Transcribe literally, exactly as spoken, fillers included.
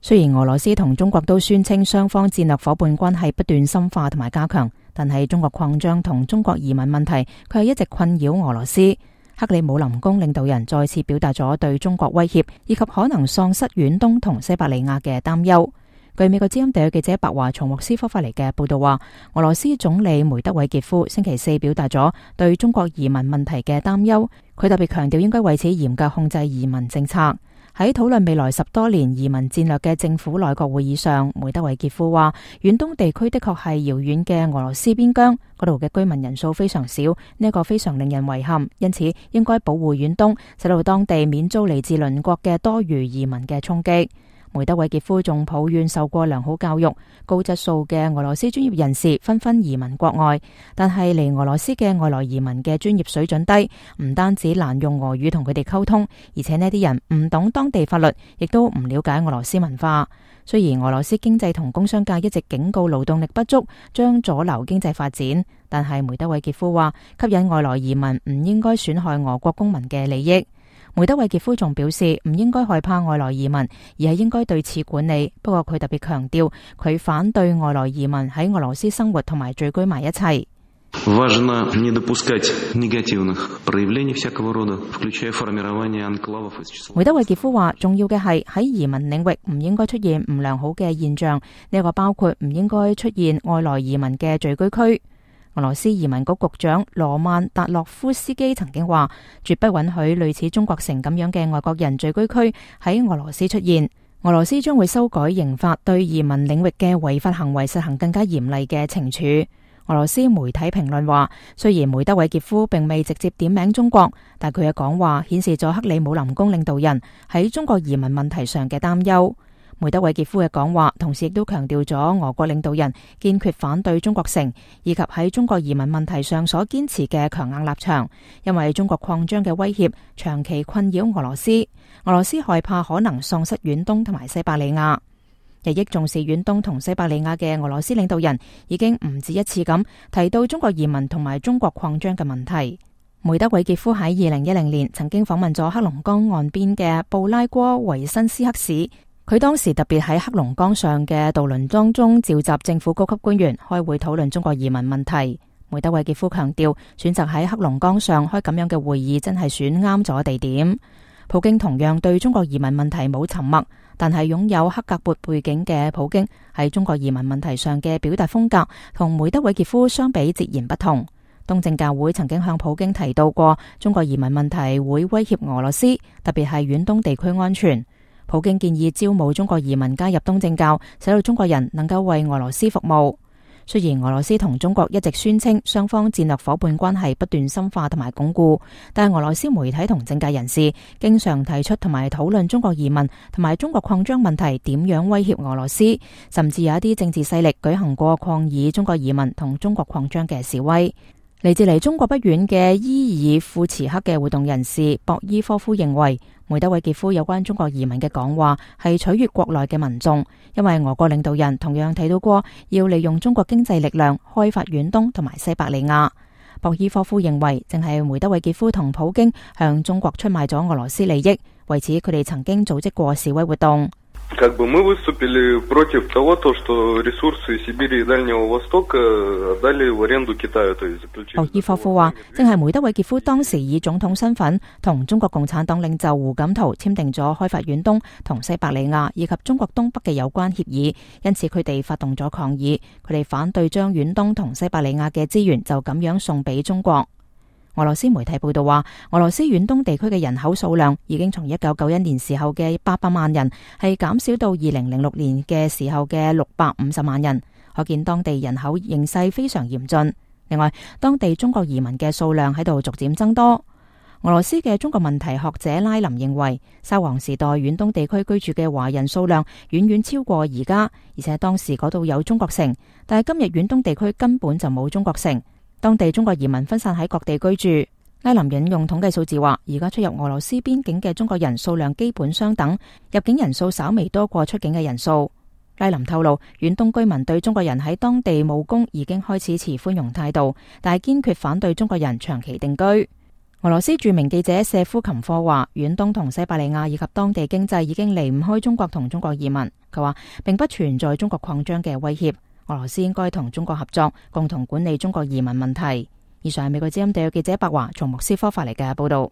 雖然俄羅斯同中國都宣稱雙方戰略夥伴關係不斷深化同埋加強，但係中國擴張同中國移民問題卻係一直困擾俄羅斯。克里姆林宮領導人再次表達咗對中國威脅以及可能喪失遠東同西伯利亞嘅擔憂。據美國之音地區記者白華從莫斯科發嚟嘅報道話，俄羅斯總理梅德韋傑夫星期四表達咗對中國移民問題嘅擔憂，佢特別強調應該為此嚴格控制移民政策。喺討論未來十多年移民戰略嘅政府內閣會議上，梅德韋傑夫話，遠東地區的確係遙遠嘅俄羅斯邊疆，嗰度嘅居民人數非常少，呢一個非常令人遺憾，因此應該保護遠東，使到當地免遭嚟自鄰國嘅多餘移民嘅衝擊。梅德韋傑夫仲抱怨受過良好教育、高質素嘅俄羅斯專業人士紛紛移民國外，但係嚟俄羅斯嘅外來移民嘅專業水準低，唔單止難用俄語同佢哋溝通，而且呢啲人唔懂當地法律，亦都唔了解俄羅斯文化。雖然俄羅斯經濟同工商界一直警告勞動力不足將阻撓經濟發展，但係梅德韋傑夫話，吸引外來移民唔應該損害俄國公民嘅利益。梅德韋傑夫仲表示，唔應該害怕外來移民，而係應該對此管理。不過佢特別強調，佢反對外來移民喺俄羅斯生活同埋聚居埋一齊。梅德韋傑夫話，重要嘅係喺移民領域唔應該出現唔良好嘅現象，呢個包括唔應該出現外來移民嘅聚居區。俄羅斯移民局局長羅曼達洛夫斯基曾經話，絕不允許類似中國城咁樣嘅外國人聚居區喺俄羅斯出現。俄羅斯將會修改刑法，對移民領域嘅違法行為實行更加嚴厲嘅懲處。俄羅斯媒體評論話，雖然梅德韋傑夫並未直接點名中國，但佢嘅講話顯示咗克里姆林宮領導人喺中國移民問題上嘅擔憂。梅德韋傑夫嘅講話同時亦都強調咗俄國領導人堅決反對中國城，以及喺中國移民問題上所堅持嘅強硬立場，因為中國擴張嘅威脅長期困擾俄羅斯，俄羅斯害怕可能喪失遠東同埋西伯利亞。日益重視遠東同西伯利亞嘅俄羅斯領導人已經唔止一次咁提到中國移民同埋中國擴張嘅問題。梅德韋傑夫喺二零一零年曾經訪問咗黑龍江岸邊嘅布拉戈維申斯克市。佢當時特別喺黑龍江上嘅渡輪當中召集政府高級官員開會討論中國移民問題。梅德韋傑夫強調，選擇喺黑龍江上開咁樣嘅會議真係選啱咗地點。普京同樣對中國移民問題冇沉默，但係擁有克格勃背景嘅普京喺中國移民問題上嘅表達風格同梅德韋傑夫相比截然不同。東正教會曾經向普京提到過，中國移民問題會威脅俄羅斯，特別係遠東地區安全。普京建議招募中國移民加入東正教，使到中國人能夠為俄羅斯服務。雖然俄羅斯同中國一直宣稱雙方戰略夥伴關係不斷深化同埋鞏固，但係俄羅斯媒體同政界人士經常提出同埋討論中國移民同埋中國擴張問題點樣威脅俄羅斯，甚至有一啲政治勢力舉行過抗議中國移民同中國擴張嘅示威。嚟自離中國不遠嘅伊爾庫茨克嘅活動人士博伊科夫認為，梅德韋傑夫有關中國移民嘅講話係取悅國內嘅民眾，因為俄國領導人同樣提到過要利用中國經濟力量開發遠東同埋西伯利亞。博伊科夫認為，正係梅德韋傑夫同普京向中國出賣咗俄羅斯利益，為此佢哋曾經組織過示威活動。Как бы мы выступили против того, то, что ресурсы Сибири и Дальнего Востока отдали в аренду Китаю, то есть заключили. 博伊科夫話，正係梅德韋傑夫當時以總統身份同中國共產黨領袖胡錦濤簽訂咗開發遠東同西伯利亞以及中國東北嘅有關協議，因此佢哋發動咗抗議，佢哋反對將遠東同西伯利亞嘅資源就咁樣送俾中國。俄羅斯媒體報道話，俄羅斯遠東地區嘅人口數量已經從一九九一年時候嘅八百萬人，係減少到二零零六年嘅時候嘅六百五十萬人，可見當地人口形勢非常嚴峻。另外，當地中國移民嘅數量喺度逐漸增多。俄羅斯嘅中國問題學者拉林認為，沙皇時代遠東地區居住嘅華人數量遠遠超過而家，而且當時嗰度有中國城，但係今日遠東地區根本就冇中國城。當地中國移民分散喺各地居住。拉林引用統計數字話，而家出入俄羅斯邊境嘅中國人數量基本相等，入境人數稍微多過出境嘅人數。拉林透露，遠東居民對中國人喺當地務工已經開始持寬容態度，但係堅決反對中國人長期定居。俄羅斯著名記者謝夫琴科話，遠東同西伯利亞以及當地經濟已經離唔開中國同中國移民。佢話並不存在中國擴張嘅威脅，俄羅斯應該同中國合作，共同管理中國移民問題。以上係美國之音地約記者白華從莫斯科發嚟嘅報道。